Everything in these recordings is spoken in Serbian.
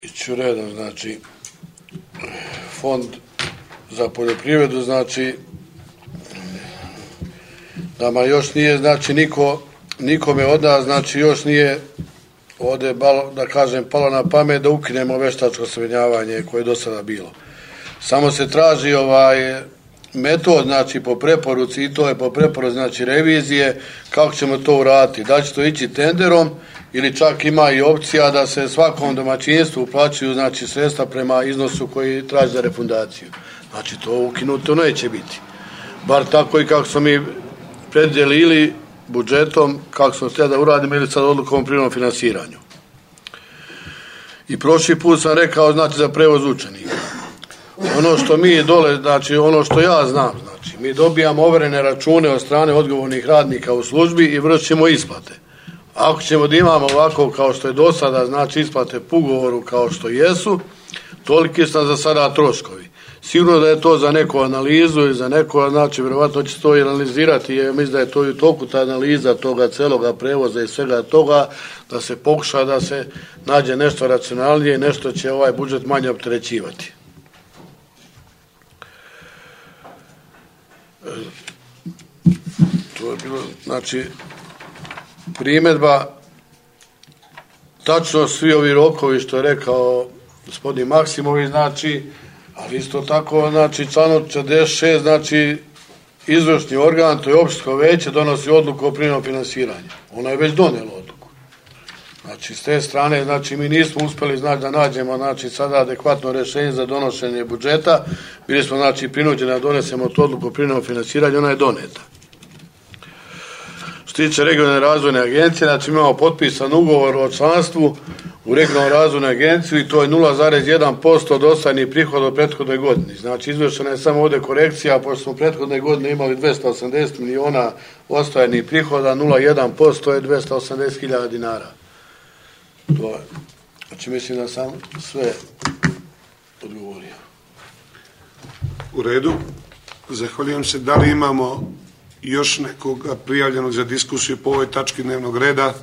Iću redom, znači, fond za poljoprivredu, znači, nama još nije, znači, nikome od nas, znači, još nije ovdje, da kažem, palo na pamet da ukinemo veštačko osjemenjavanje koje je do sada bilo. Samo se traži metod, znači, po preporuci, i to je po preporuci, znači, revizije, kako ćemo to uraditi. Da će to ići tenderom ili čak ima i opcija da se svakom domaćinstvu uplaćuju, znači, sredstva prema iznosu koji traži za refundaciju. Znači, to ukinuto neće biti. Bar tako i kako smo mi predvidjeli ili budžetom, kako smo htjeli da uradimo, ili sad odlukom o privremenom finansiranju. I prošli put sam rekao, znači, za prevoz učenika. Ono što mi dole, znači, ono što ja znam, znači, mi dobijamo overene račune od strane odgovornih radnika u službi i vršimo isplate. Ako ćemo da imamo ovako kao što je do sada, znači, isplate po ugovoru kao što jesu, toliki su nam za sada troškovi. Sigurno da je to za neku analizu i za neko, znači, vjerovatno će to i analizirati, jer mislim da je to i u toku ta analiza toga celoga prevoza i svega toga, da se pokuša da se nađe nešto racionalnije i nešto će ovaj budžet manje opterećivati. To je bilo, znači, primjedba, tačno svi ovi rokovi što je rekao gospodin Maksimović, znači, ali isto tako, znači, članom 46, znači, izvršni organ, to je opštinsko veće, donosi odluku o privremenom finansiranju. Ona je već donijela odluku. Znači, s te strane, znači, mi nismo uspjeli, znači, da nađemo, znači, sada adekvatno rješenje za donošenje budžeta. Bili smo, znači, prinuđeni da donesemo tu odluku o privremenom finansiranju, ona je doneta. Što se tiče regionalne razvojne agencije, znači, imamo potpisan ugovor o članstvu u regionalnoj razvojnoj agenciji i to je 0,1% od ostvarenih prihoda u prethodnoj godini. Znači, izvršena je samo ovdje korekcija, pošto smo u prethodne godine imali 280 miliona ostvarenih prihoda, 0,1% je 280.000 dinara. To je. Znači, mislim da sam sve odgovorio. U redu. Zahvaljujem se. Da li imamo još nekoga prijavljenog za diskusiju po ovoj tački dnevnog reda?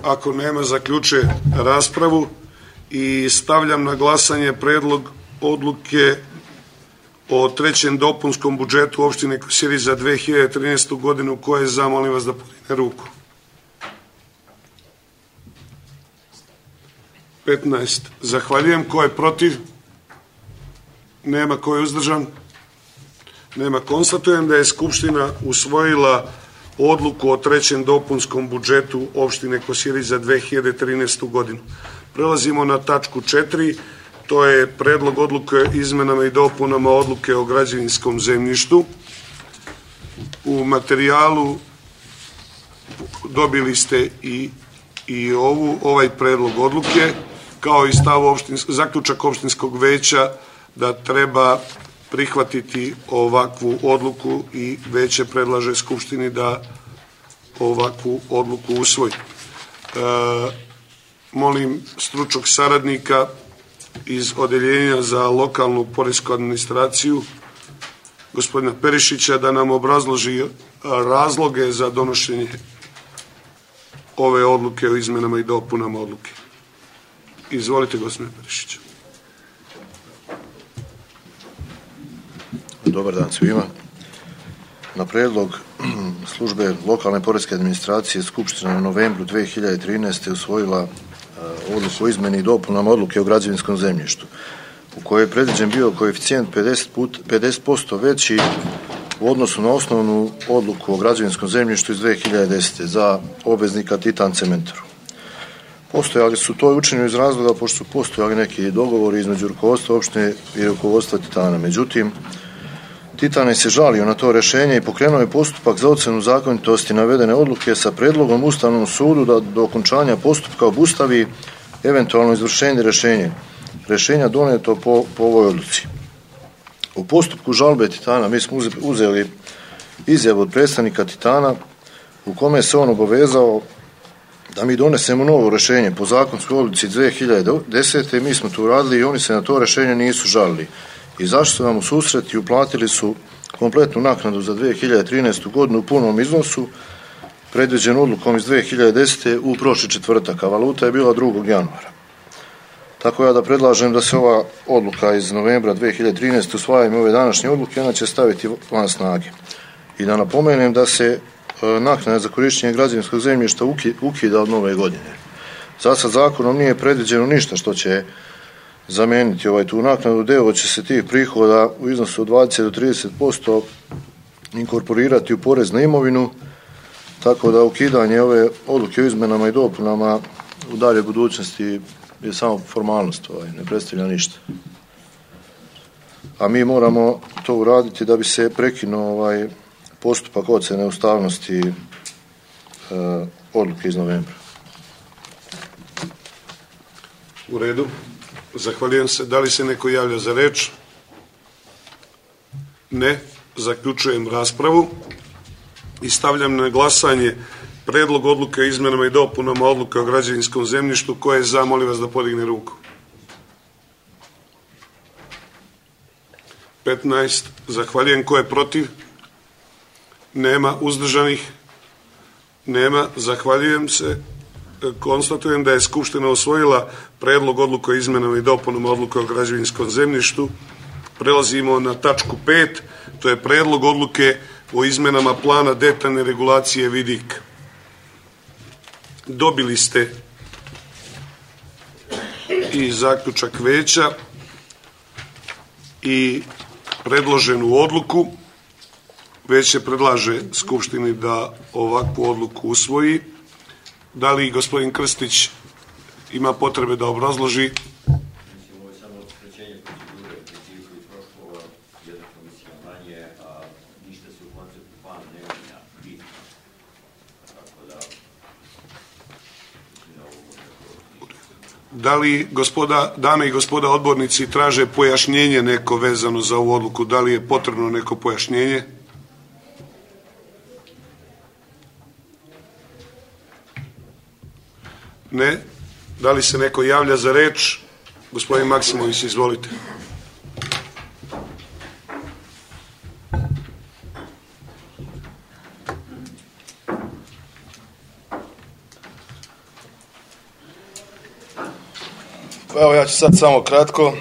Ako nema, zaključuje raspravu i stavljam na glasanje predlog odluke o trećem dopunskom budžetu opštine Kosjerić za 2013. godinu. Ko je za, molim vas da podigne ruku. 15. Zahvaljujem. Ko je protiv? Nema. Ko je uzdržan? Nema. Konstatujem da je Skupština usvojila odluku o trećem dopunskom budžetu opštine Kosjerić za 2013. godinu. Prelazimo na tačku 4. To je predlog odluke o izmenama i dopunama odluke o građevinskom zemljištu. U materijalu dobili ste i ovaj predlog odluke, kao i zaključak opštinskog veća da treba prihvatiti ovakvu odluku i veće predlaže Skupštini da ovakvu odluku usvoji. Molim stručnog saradnika iz Odeljenja za lokalnu poresku administraciju, gospodina Perišića, da nam obrazloži razloge za donošenje ove odluke o izmenama i dopunama odluke. Izvolite, gospodine Perišića. Dobar dan svima. Na predlog službe lokalne poreske administracije Skupština u novembru 2013. usvojila odluku o izmeni i dopunama odluke o građevinskom zemljištu, u kojoj je predviđen bio koeficijent 50% veći u odnosu na osnovnu odluku o građevinskom zemljištu iz 2010. za obveznika Titan Cementoru. Postojali su to učinjeno iz razloga pošto su postojali neki dogovori između rukovodstva opštine i rukovodstva Titana. Međutim, Titan je se žalio na to rješenje i pokrenuo je postupak za ocjenu zakonitosti navedene odluke sa predlogom Ustavnom sudu da do okončanja postupka obustavi eventualno izvršenje rješenja doneto po ovoj odluci. U postupku žalbe Titana mi smo uzeli izjavu od predstavnika Titana u kome se on obavezao da mi donesemo novo rješenje po zakonskoj odluci 2010. Mi smo to uradili i oni se na to rješenje nisu žalili. Izašli su nam u susret i uplatili su kompletnu naknadu za 2013. godinu u punom iznosu predviđen odlukom iz 2010. u prošli četvrtak, a valuta je bila 2. januara. Tako ja da predlažem da se ova odluka iz novembra 2013. usvajanjem ove današnje odluke, ona će staviti van snage. I da napomenem da se naknada za korištenje građevinskog zemljišta ukida od nove godine. Zasad zakonom nije predviđeno ništa što će zamijeniti tu naknadu. Deo će se tih prihoda u iznosu od 20 do 30% inkorporirati u porez na imovinu, tako da ukidanje ove odluke o izmenama i dopunama u dalje budućnosti je samo formalnost, ne predstavlja ništa. A mi moramo to uraditi da bi se prekinuo postupak ocjene ustavnosti odluke iz novembra. U redu. Zahvaljujem se. Da li se neko javlja za reč? Ne. Zaključujem raspravu i stavljam na glasanje predlog odluke o izmenama i dopunama odluke o građevinskom zemljištu. Ko je za, molim vas da podigne ruku. 15. Zahvaljujem. Ko je protiv? Nema. Uzdržanih? Nema. Zahvaljujem se. Konstatujem da je Skupština usvojila predlog odluke o izmenama i dopunama odluke o građevinskom zemljištu. Prelazimo na tačku 5. To je predlog odluke o izmenama plana detaljne regulacije vidik. Dobili ste i zaključak veća i predloženu odluku. Veće predlaže Skupštini da ovakvu odluku usvoji. Da li gospodin Krstić ima potrebe da obrazloži? Ovo je samo skraćenje procedure, principu i troškova, jedna komisija manje, a ništa se u konceptu plana ne menja bitno. Tako da... Da li dame i gospoda odbornici traže pojašnjenje neko vezano za ovu odluku? Da li je potrebno neko pojašnjenje? Ne. Da li se neko javlja za reč? Gospodin Maksimović, izvolite. Evo, ja ću sad samo kratko.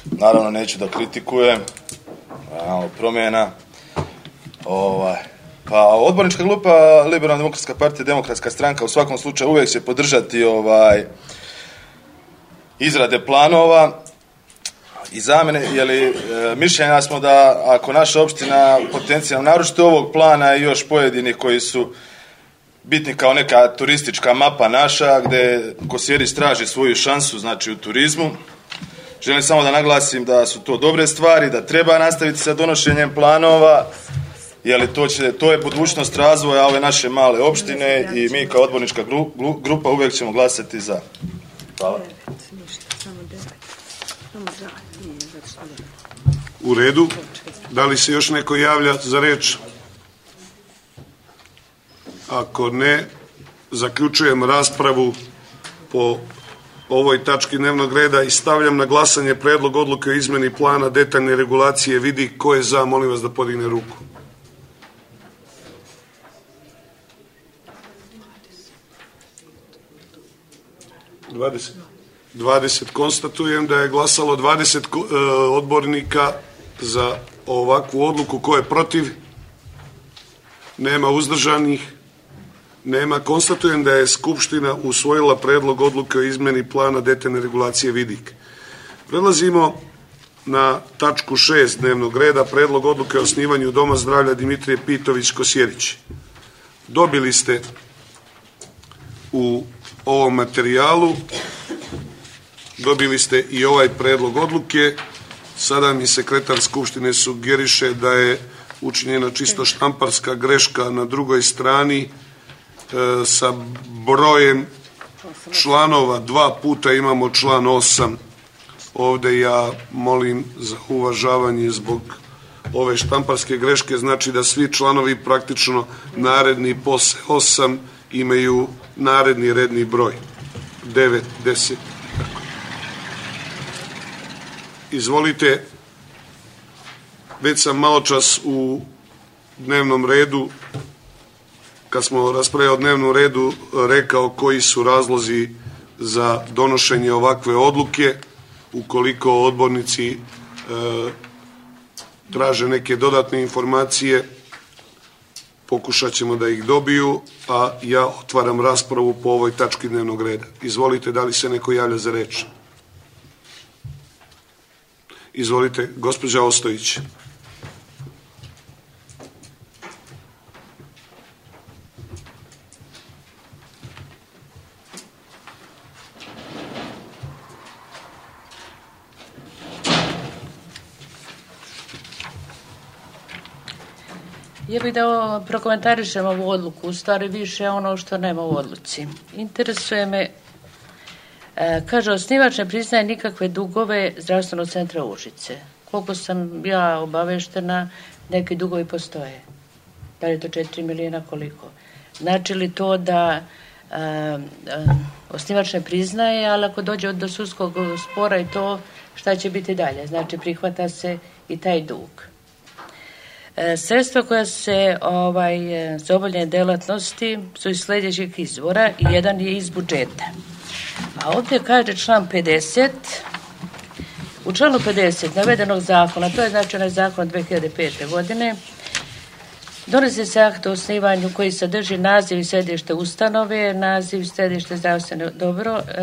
Naravno, neću da kritikujem. Promjena. Pa odbornička grupa Liberalna demokratska partija, Demokratska stranka u svakom slučaju uvijek će podržati izrade planova i zamene, jer mišljenja smo da ako naša opština potencijalno, naročito ovog plana i još pojedini koji su bitni kao neka turistička mapa naša, gde Kosjerić traži svoju šansu, znači u turizmu. Želim samo da naglasim da su to dobre stvari, da treba nastaviti sa donošenjem planova, jer to je budućnost razvoja ove naše male opštine i mi kao odbornička grupa uvijek ćemo glasati za. Hvala. U redu. Da li se još neko javlja za reč? Ako ne, zaključujem raspravu po ovoj tački dnevnog reda i stavljam na glasanje predlog odluke o izmeni plana detaljne regulacije vidi. Ko je za, molim vas da podigne ruku. 20. Konstatujem da je glasalo 20 odbornika za ovakvu odluku. Ko je protiv? Nema. Uzdržanih? Nema. Konstatujem da je Skupština usvojila predlog odluke o izmeni plana detaljne regulacije vidik. Prelazimo na tačku 6 dnevnog reda, predlog odluke o osnivanju Doma zdravlja Dimitrije Pitović Kosjerić. Dobili ste u ovom materijalu, dobili ste i ovaj predlog odluke. Sada mi sekretar Skupštine sugeriše da je učinjena čisto štamparska greška na drugoj strani sa brojem članova. 2 puta imamo član 8. Ovde ja molim za uvažavanje zbog ove štamparske greške, znači da svi članovi praktično naredni posle 8 imaju naredni redni broj 9, 10. Izvolite, već sam malo čas u dnevnom redu kad smo raspravljali o dnevnom redu, rekao koji su razlozi za donošenje ovakve odluke. Ukoliko odbornici traže neke dodatne informacije, pokušat ćemo da ih dobiju, a ja otvaram raspravu po ovoj tački dnevnog reda. Izvolite, da li se neko javlja za reč? Izvolite, gospođa Ostojić. Ja bih da prokomentarišem ovu odluku, u stvari više ono što nema u odluci. Interesuje me, kaže, osnivač ne priznaje nikakve dugove zdravstvenog centra Užice. Koliko sam ja obaveštena, neki dugovi postoje. Da li je to 4 milijuna, koliko? Znači li to da osnivač ne priznaje, ali ako dođe do sudskog spora i to, šta će biti dalje? Znači prihvata se i taj dug. Sredstva koja se za obavljanje delatnosti su iz sljedećih izvora i jedan je iz budžeta. A ovdje kaže član 50, u članu 50 navedenog zakona, to je znači onaj zakon od 2005. godine, donosi se akt o osnivanju koji sadrži naziv i središte ustanove, naziv i središte zdravstvene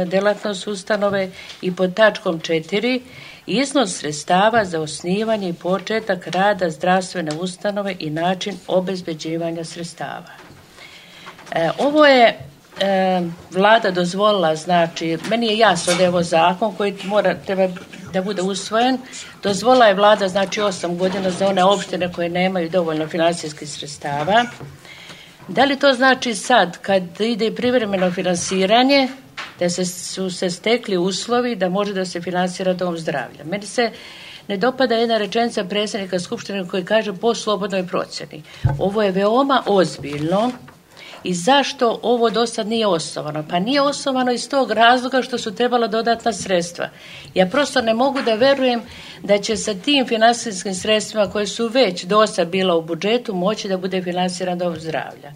delatnost ustanove i pod tačkom 4 iznos sredstava za osnivanje i početak rada zdravstvene ustanove i način obezbeđivanja sredstava. Ovo je vlada dozvolila, znači, meni je jasno da je ovo zakon koji treba da bude usvojen. Dozvolila je vlada, znači, 8 godina za one opštine koje nemaju dovoljno financijskih sredstava. Da li to znači sad, kad ide privremeno finansiranje, da su se stekli uslovi da može da se finansira dom zdravlja? Meni se ne dopada jedna rečenica predsjednika Skupštine koji kaže po slobodnoj procjeni. Ovo je veoma ozbiljno. I zašto ovo do sad nije osnovano? Pa nije osnovano iz tog razloga što su trebala dodatna sredstva. Ja prosto ne mogu da verujem da će sa tim finansijskim sredstvima koje su već do sad bila u budžetu moći da bude finansiran dom zdravlja,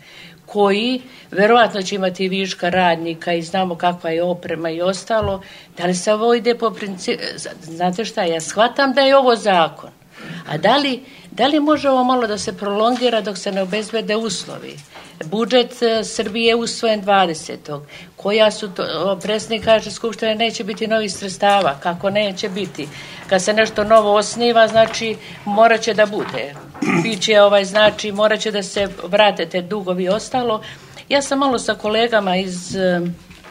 koji verovatno će imati viška radnika i znamo kakva je oprema i ostalo. Da li se ovo ide po principu? Znate šta, ja shvatam da je ovo zakon. A da li može ovo malo da se prolongira dok se ne obezbede uslovi? Budžet Srbije je usvojen 20. Koja su to, predsjednik kaže Skupštine neće biti novih sredstava. Kako neće biti? Kad se nešto novo osniva, znači morat će da bude. Biće znači morat će da se vrate te dugovi i ostalo. Ja sam malo sa kolegama iz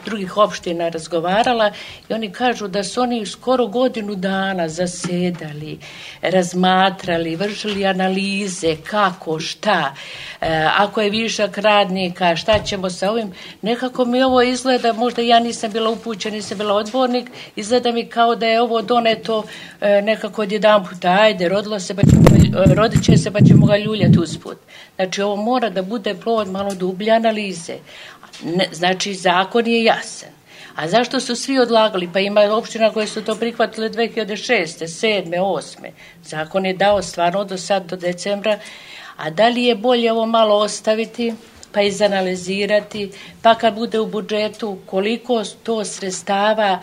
drugih opština razgovarala i oni kažu da su oni skoro godinu dana zasedali, razmatrali, vršili analize kako, šta, ako je višak radnika, šta ćemo sa ovim. Nekako mi ovo izgleda, možda ja nisam bila upućena, nisam bila odbornik, izgleda mi kao da je ovo doneto nekako odjedan puta, ajde, rodit će se pa ćemo ga ljuljati usput. Znači ovo mora da bude plod malo dublje analize. Znači, zakon je jasan. A zašto su svi odlagali? Pa ima opština koje su to prihvatile 2006. 7. 8. Zakon je dao stvarno do sad, do decembra. A da li je bolje ovo malo ostaviti, pa izanalizirati, pa kad bude u budžetu koliko to sredstava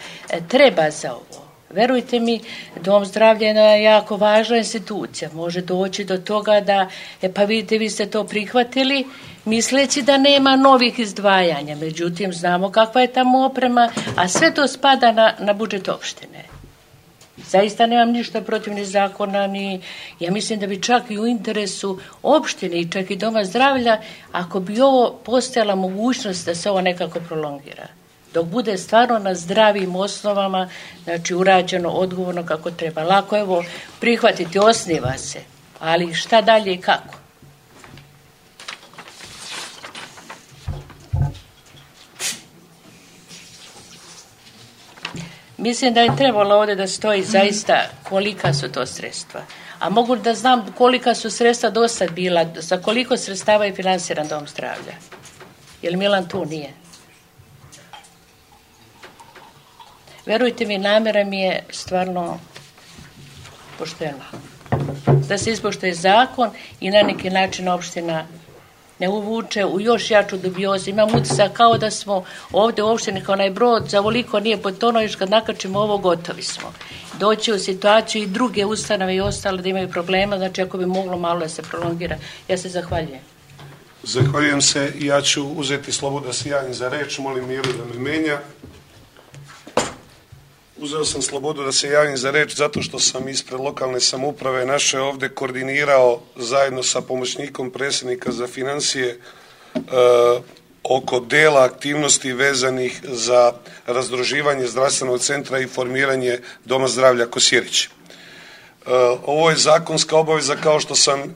treba za ovo? Verujte mi, dom zdravlja je jedna jako važna institucija. Može doći do toga da, pa vidite, vi ste to prihvatili, misleći da nema novih izdvajanja. Međutim, znamo kakva je tamo oprema, a sve to spada na budžet opštine. Zaista nemam ništa protiv ni zakona, ni ja mislim da bi čak i u interesu opštine i čak i doma zdravlja, ako bi ovo postojala mogućnost da se ovo nekako prolongira. Dok bude stvarno na zdravim osnovama, znači urađeno odgovorno kako treba. Lako je ovo prihvatiti, osniva se, ali šta dalje i kako? Mislim da je trebalo ovdje da stoji zaista kolika su to sredstva. A mogu da znam kolika su sredstva do sad bila, za koliko sredstava je finansiran dom zdravlja. Jer Milan tu nije. Verujte mi, namjera mi je stvarno poštena. Da se ispoštuje zakon i na neki način opština ne uvuče u još jaču dubiozu. Imam utisak kao da smo ovdje u opštini kao onaj brod, za ovoliko nije potonuo, još kad nakačimo ovo, gotovi smo. Doći u situaciju i druge ustanove i ostale da imaju problema, znači ako bi moglo malo da se prolongira. Ja se zahvaljujem. Zahvaljujem se i ja ću uzeti slobodu da se javim za reč, molim Miru da me menja. Uzeo sam slobodu da se javim za reč zato što sam ispred lokalne samouprave naše ovdje koordinirao zajedno sa pomoćnikom predsjednika za financije oko dela aktivnosti vezanih za razdruživanje zdravstvenog centra i formiranje Doma zdravlja Kosjerić. Ovo je zakonska obaveza, kao što sam,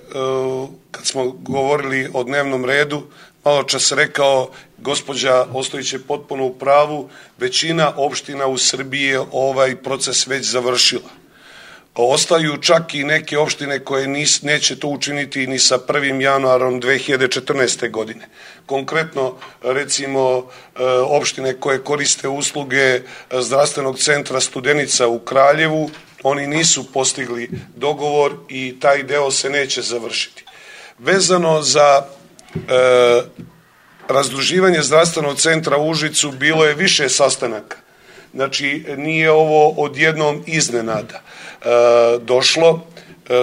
kad smo govorili o dnevnom redu, malo čas rekao, gospođa Ostojić je potpuno u pravu, većina opština u Srbiji je ovaj proces već završila. Ostaju čak i neke opštine koje neće to učiniti ni sa 1. januarom 2014. godine. Konkretno, recimo, opštine koje koriste usluge zdravstvenog centra Studenica u Kraljevu, oni nisu postigli dogovor i taj deo se neće završiti. Vezano za razdruživanje zdravstvenog centra u Užicu bilo je više sastanaka. Znači, nije ovo odjednom iznenada došlo.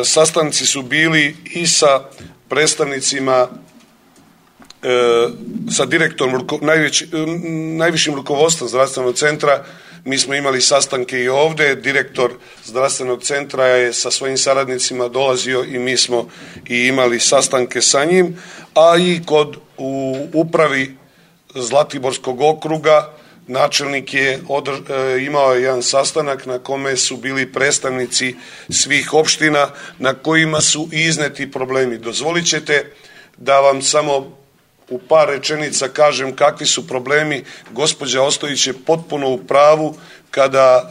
Sastanci su bili i sa predstavnicima, sa direktorom, najvišim rukovodstvom zdravstvenog centra. Mi smo imali sastanke i ovdje, direktor zdravstvenog centra je sa svojim saradnicima dolazio i mi smo i imali sastanke sa njim, a i u upravi Zlatiborskog okruga načelnik je imao jedan sastanak na kome su bili predstavnici svih opština na kojima su izneti problemi. Dozvolit ćete da vam samo u par rečenica kažem kakvi su problemi. Gospođa Ostojić je potpuno u pravu kada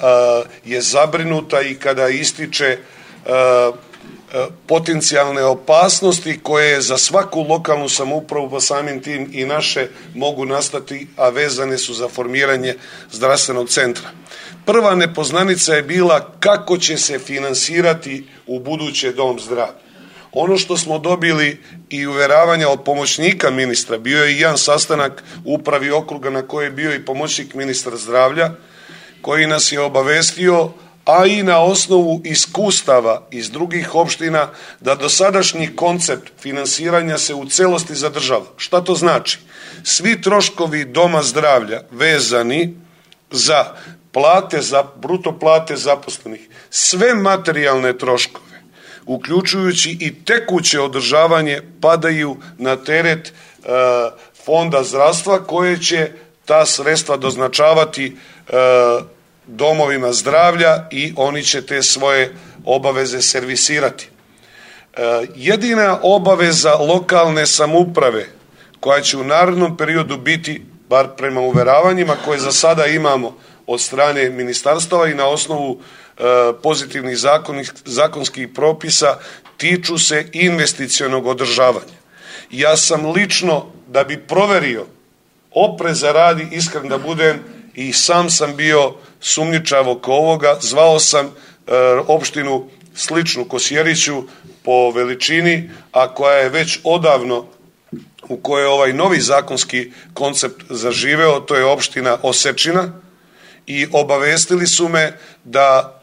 je zabrinuta i kada ističe potencijalne opasnosti koje za svaku lokalnu samoupravu, pa samim tim i naše, mogu nastati, a vezane su za formiranje zdravstvenog centra. Prva nepoznanica je bila kako će se finansirati u buduće dom zdravlja. Ono što smo dobili i uveravanja od pomoćnika ministra, bio je i jedan sastanak u upravi okruga na kojoj je bio i pomoćnik ministra zdravlja, koji nas je obavestio, a i na osnovu iskustava iz drugih opština, da dosadašnji koncept finansiranja se u celosti zadržava. Šta to znači? Svi troškovi doma zdravlja vezani za plate, za bruto plate zaposlenih, sve materijalne troškove, uključujući i tekuće održavanje, padaju na teret fonda zdravstva, koje će ta sredstva doznačavati domovima zdravlja i oni će te svoje obaveze servisirati. Jedina obaveza lokalne samouprave koja će u narednom periodu biti, bar prema uveravanjima koje za sada imamo od strane ministarstava i na osnovu pozitivnih zakonskih propisa, tiču se investicionog održavanja. Ja sam lično, da bi proverio opreza radi, iskren da budem, i sam sam bio sumnjičav oko ovoga, zvao sam opštinu sličnu Kosjeriću po veličini, a koja je već odavno, u kojoj je ovaj novi zakonski koncept zaživeo, to je opština Osečina, i obavestili su me da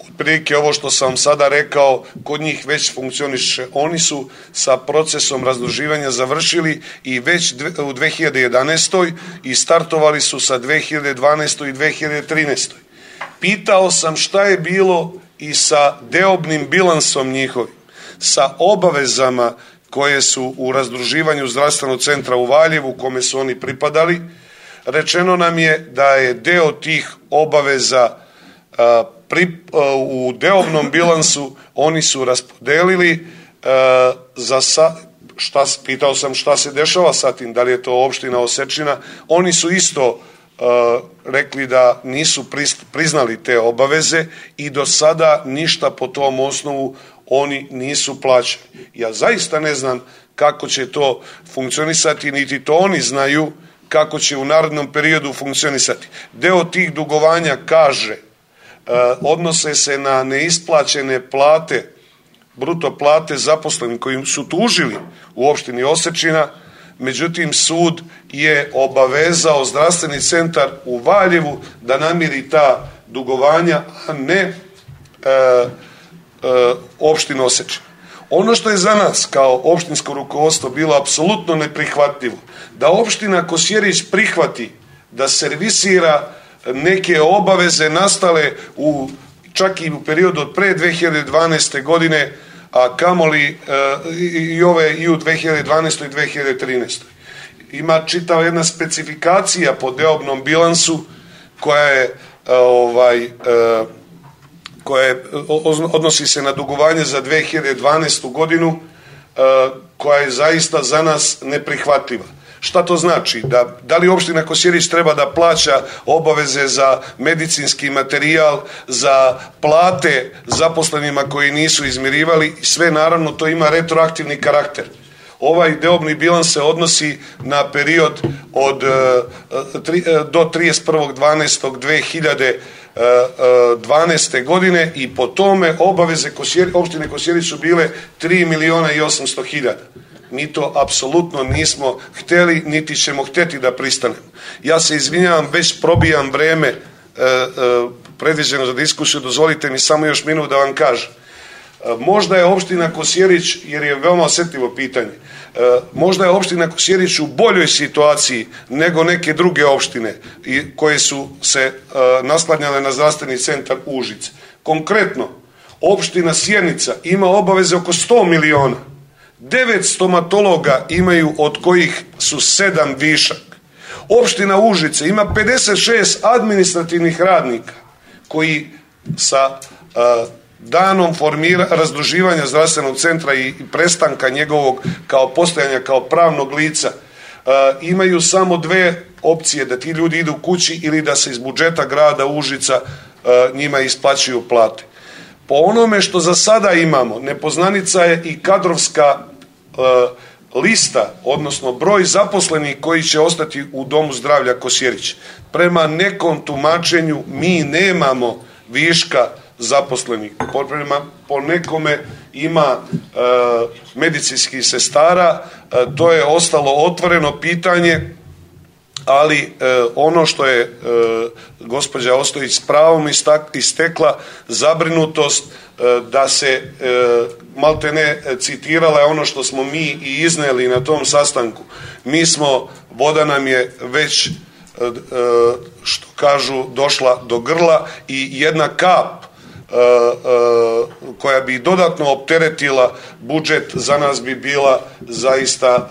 otprilike ovo što sam sada rekao kod njih već funkcioniše. Oni su sa procesom razdruživanja završili i već u 2011. i startovali su sa 2012. i 2013. Pitao sam šta je bilo i sa deobnim bilansom njihovim, sa obavezama koje su u razdruživanju zdravstvenog centra u Valjevu, kome su oni pripadali. Rečeno nam je da je deo tih obaveza u deobnom bilansu oni su raspodelili pitao sam šta se dešava sa tim, da li je to opština Osečina. Oni su isto rekli da nisu priznali te obaveze i do sada ništa po tom osnovu oni nisu plaćali. Ja zaista ne znam kako će to funkcionisati, niti to oni znaju kako će u narednom periodu funkcionisati. Deo tih dugovanja, kaže, odnose se na neisplaćene plate, bruto plate zaposlenih koji su tužili u opštini Osečina, međutim sud je obavezao zdravstveni centar u Valjevu da namiri ta dugovanja, a ne opštinu Osečina. Ono što je za nas kao opštinsko rukovodstvo bilo apsolutno neprihvatljivo, da opština Kosjerić prihvati da servisira neke obaveze nastale čak i u periodu od pre 2012. godine, a kamoli i u 2012. i 2013. Ima čitava jedna specifikacija po deobnom bilansu koja odnosi se na dugovanje za 2012. godinu, koja je zaista za nas neprihvatljiva. Šta to znači? Da li opština Kosjerić treba da plaća obaveze za medicinski materijal, za plate zaposlenima koji nisu izmirivali? Sve naravno to ima retroaktivni karakter. Ovaj deobni bilans se odnosi na period do 31.12.2012. godine i po tome obaveze opštine Kosjerić su bile 3.800.000. Mi to apsolutno nismo hteli, niti ćemo hteti da pristanemo. Ja se izvinjavam, već probijam vreme predviđeno za diskusiju, dozvolite mi samo još minut da vam kažem. Možda je opština Kosjerić, jer je veoma osjetljivo pitanje, možda je opština Kosjerić u boljoj situaciji nego neke druge opštine koje su se naslanjale na zdravstveni centar Užice. Konkretno, opština Sjenica ima obaveze oko 100 miliona. 9 stomatologa imaju, od kojih su 7 višak. Opština Užice ima 56 administrativnih radnika koji sa danom razdruživanja zdravstvenog centra i prestanka njegovog kao postojanja kao pravnog lica imaju samo dve opcije, da ti ljudi idu kući ili da se iz budžeta grada Užica njima isplaćuju plate. Po onome što za sada imamo, nepoznanica je i kadrovska lista, odnosno broj zaposlenih koji će ostati u Domu zdravlja Kosjerić. Prema nekom tumačenju mi nemamo viška zaposlenih. Po nekome ima medicinskih sestara, to je ostalo otvoreno pitanje, ali ono što je gospođa Ostojić s pravom istekla, zabrinutost da se maltene citirala je ono što smo mi i izneli na tom sastanku. Voda nam je već, što kažu, došla do grla i jedna kap koja bi dodatno opteretila budžet za nas bi bila zaista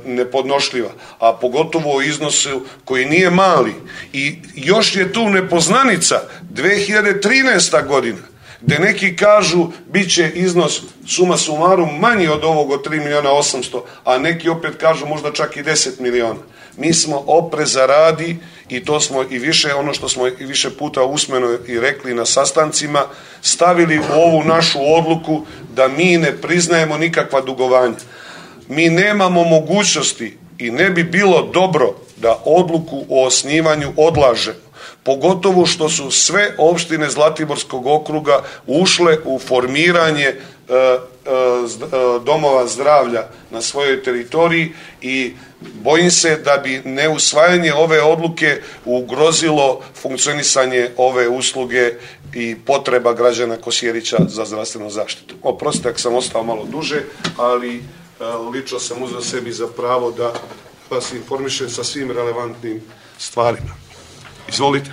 nepodnošljiva, a pogotovo u iznosu koji nije mali. I još je tu nepoznanica 2013. godina, gde neki kažu bit će iznos suma sumarum manji od ovog od 3.800.000, a neki opet kažu možda čak i 10 miliona. Mi smo opreza radi, i to smo i više, ono što smo i više puta usmeno i rekli na sastancima, stavili u ovu našu odluku da mi ne priznajemo nikakva dugovanja. Mi nemamo mogućnosti i ne bi bilo dobro da odluku o osnivanju odlažemo, pogotovo što su sve opštine Zlatiborskog okruga ušle u formiranje domova zdravlja na svojoj teritoriji i bojim se da bi neusvajanje ove odluke ugrozilo funkcionisanje ove usluge i potreba građana Kosjerića za zdravstvenom zaštitu. Oprostite ako sam ostao malo duže, ali lično sam uzeo sebi za pravo da vas informišem sa svim relevantnim stvarima. Izvolite.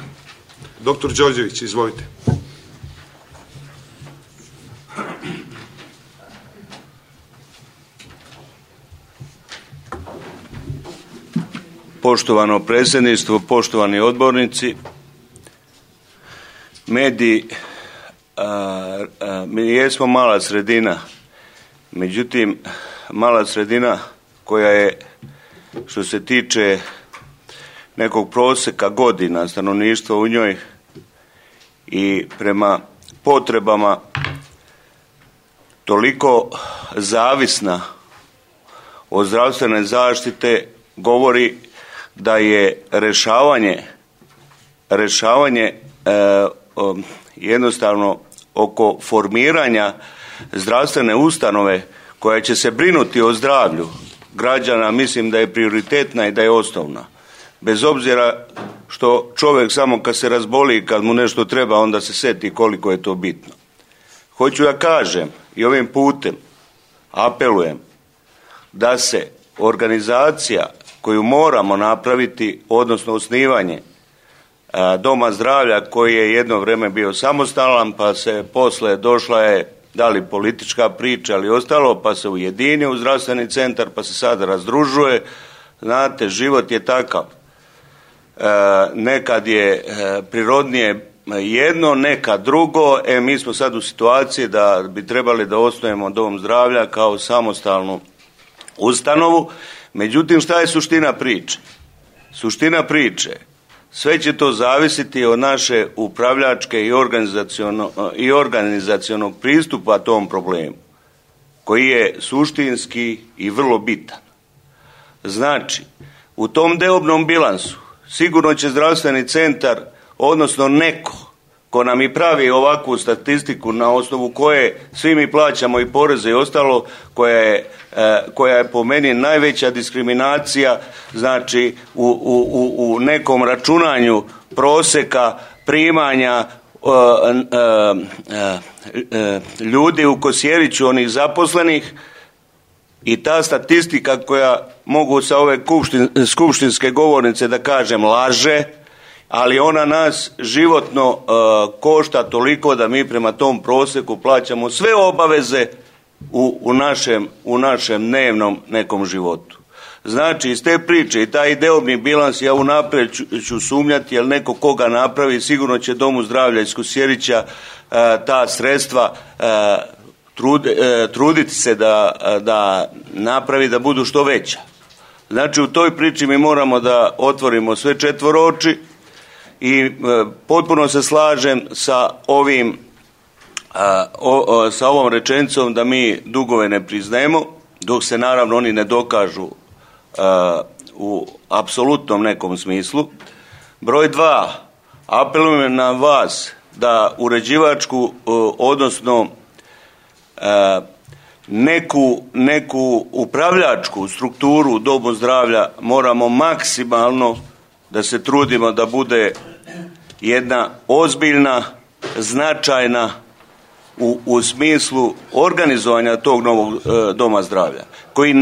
Doktor Đorđević, izvolite. Poštovano predsjedništvo, poštovani odbornici, mediji, mi jesmo mala sredina, međutim mala sredina koja je, što se tiče nekog prosjeka godina stanovništva u njoj i prema potrebama toliko zavisna od zdravstvene zaštite, govori da je rješavanje jednostavno oko formiranja zdravstvene ustanove koja će se brinuti o zdravlju građana mislim da je prioritetna i da je osnovna. Bez obzira što čovjek samo kad se razboli, kad mu nešto treba, onda se seti koliko je to bitno. Hoću da kažem i ovim putem apelujem da se organizacija koju moramo napraviti, odnosno osnivanje Doma zdravlja koji je jedno vrijeme bio samostalan, pa se posle došla je da li politička priča ali ostalo, pa se ujedinio u zdravstveni centar, pa se sada razdružuje. Znate, život je takav. Nekad je prirodnije jedno, nekad drugo. Mi smo sad u situaciji da bi trebali da osnujemo Dom zdravlja kao samostalnu ustanovu. Međutim, šta je suština priče? Suština priče, sve će to zavisiti od naše upravljačke i organizacionog pristupa tom problemu, koji je suštinski i vrlo bitan. Znači, u tom deobnom bilansu sigurno će zdravstveni centar, odnosno neko ko nam i pravi ovakvu statistiku na osnovu koje svi mi plaćamo i poreze i ostalo, koja je po meni najveća diskriminacija, znači u nekom računanju proseka primanja ljudi u Kosjeriću, onih zaposlenih, i ta statistika koja mogu sa ove skupštinske govornice da kažem laže, ali ona nas životno košta toliko da mi prema tom proseku plaćamo sve obaveze u našem dnevnom nekom životu. Znači, iz te priče i taj deobni bilans, ja unaprijed ću sumnjati, jer neko koga napravi sigurno će Domu zdravlja iz Kosjerića ta sredstva truditi se da napravi da budu što veća. Znači, u toj priči mi moramo da otvorimo sve četvoroči i potpuno se slažem sa ovom rečenicom da mi dugove ne priznajemo, dok se naravno oni ne dokažu u apsolutnom nekom smislu. Broj 2, apelujem na vas da uređivačku, odnosno neku upravljačku strukturu u Domu zdravlja moramo maksimalno da se trudimo da bude jedna ozbiljna, značajna u smislu organizovanja tog novog Doma zdravlja, koji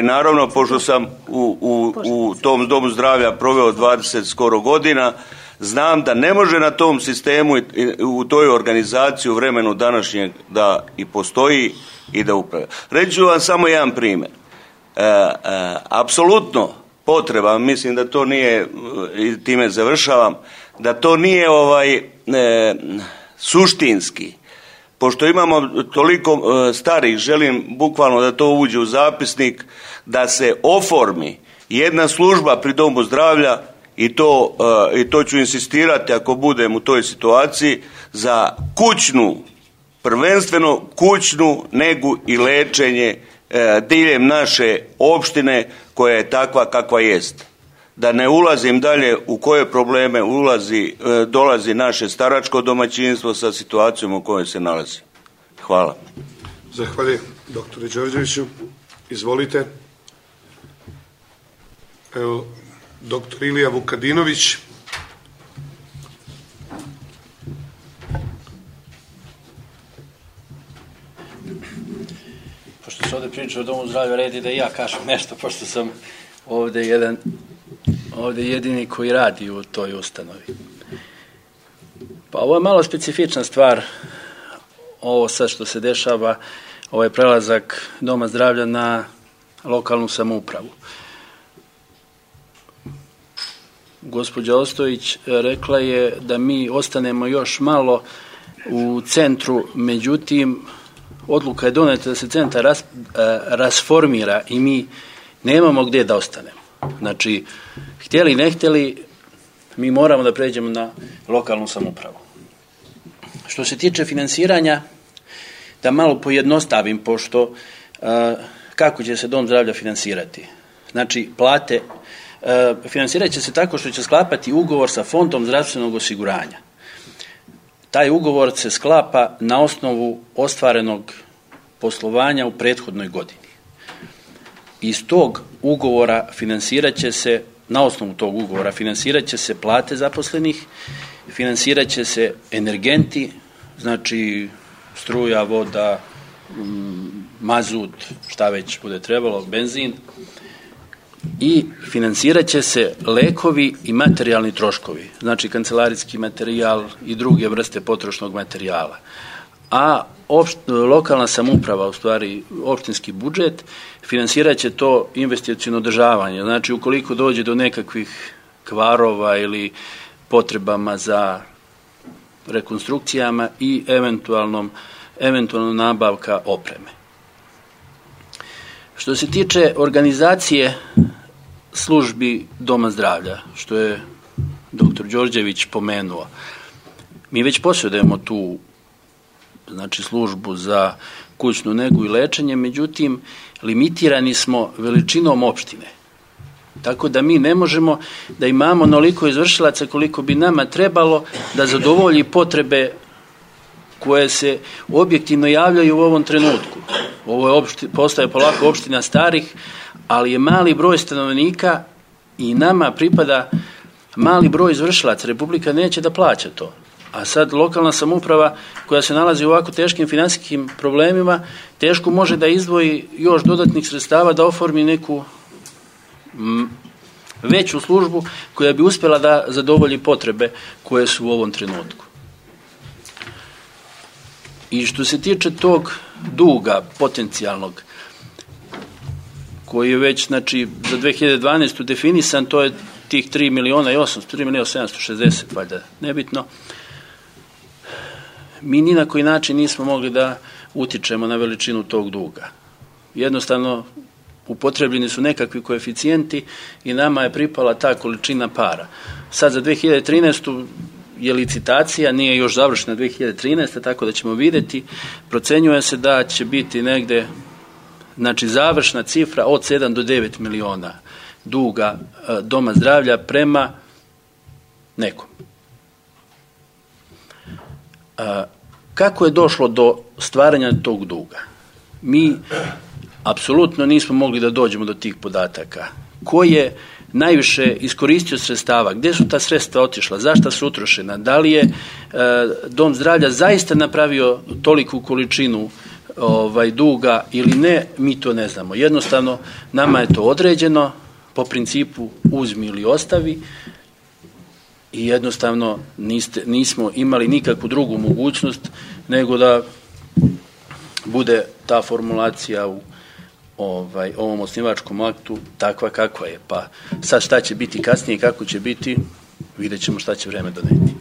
naravno, pošto sam u tom Domu zdravlja proveo 20 skoro godina, znam da ne može na tom sistemu u toj organizaciji u vremenu današnjeg da i postoji i da upravlja. Reći ću vam samo jedan primjer. Apsolutno potreba, mislim da to nije, i time završavam, da to nije suštinski. Pošto imamo toliko starih, želim bukvalno da to uđe u zapisnik, da se oformi jedna služba pri Domu zdravlja, i to ću insistirati ako budem u toj situaciji, za prvenstveno kućnu negu i lečenje diljem naše opštine koja je takva kakva jest. Da ne ulazim dalje u koje probleme dolazi naše staračko domaćinstvo sa situacijom u kojoj se nalazi. Hvala. Zahvaljujem doktore Đorđeviću. Izvolite. Evo, doktor Ilija Vukadinović. Pošto se ovdje priča o Domu zdravlja, redi da i ja kažem nešto, pošto sam ovdje jedini koji radi u toj ustanovi. Pa ovo je malo specifična stvar, ovo sad što se dešava, ovaj prelazak Doma zdravlja na lokalnu samoupravu. Gospođa Ostojić rekla je da mi ostanemo još malo u centru, međutim odluka je doneta da se centar rasformira i mi nemamo gdje da ostanemo. Znači, htjeli ne htjeli, mi moramo da pređemo na lokalnu samoupravu. Što se tiče finansiranja, da malo pojednostavim, pošto kako će se Dom zdravlja finansirati? Znači, plate financirat će se tako što će sklapati ugovor sa Fondom zdravstvenog osiguranja. Taj ugovor se sklapa na osnovu ostvarenog poslovanja u prethodnoj godini. iz tog ugovora financirat će se, na osnovu tog ugovora financirat će se plate zaposlenih, financirat će se energenti, znači struja, voda, mazut, šta već bude trebalo, benzin, i financirat će se lekovi i materijalni troškovi, znači kancelarijski materijal i druge vrste potrošnog materijala. A lokalna samouprava, u stvari opštinski budžet, financirat će to investiciono održavanje. Znači, ukoliko dođe do nekakvih kvarova ili potrebama za rekonstrukcijama i eventualno nabavka opreme. Što se tiče organizacije službi Doma zdravlja, što je dr. Đorđević pomenuo, mi već posjedujemo tu, znači, službu za kućnu negu i lečenje, međutim, limitirani smo veličinom opštine. Tako da mi ne možemo da imamo onoliko izvršilaca koliko bi nama trebalo da zadovolji potrebe koje se objektivno javljaju u ovom trenutku. Ovo postaje polako opština starih, ali je mali broj stanovnika i nama pripada mali broj izvršilaca. Republika neće da plaća to. A sad lokalna samouprava koja se nalazi u ovako teškim finansijskim problemima teško može da izdvoji još dodatnih sredstava da oformi neku veću službu koja bi uspjela da zadovolji potrebe koje su u ovom trenutku. I što se tiče tog duga potencijalnog, koji je već, znači, za 2012. definisan, to je tih 3.760.000, valjda nebitno, mi ni na koji način nismo mogli da utičemo na veličinu tog duga. Jednostavno, upotrebljeni su nekakvi koeficijenti i nama je pripala ta količina para. Sad za 2013. je licitacija, nije još završena 2013. tako da ćemo vidjeti. Procenjuje se da će biti negde, znači, završna cifra od 7 do 9 miliona duga Doma zdravlja prema nekom. Kako je došlo do stvaranja tog duga? Mi apsolutno nismo mogli da dođemo do tih podataka. Ko je najviše iskoristio sredstava, gdje su ta sredstva otišla, zašto su utrošena, da li je Dom zdravlja zaista napravio toliku količinu duga ili ne, mi to ne znamo. Jednostavno, nama je to određeno po principu uzmi ili ostavi i jednostavno nismo imali nikakvu drugu mogućnost nego da bude ta formulacija u ovom osnivačkom aktu takva kakva je. Pa sad šta će biti kasnije i kako će biti, vidjet ćemo šta će vreme doneti.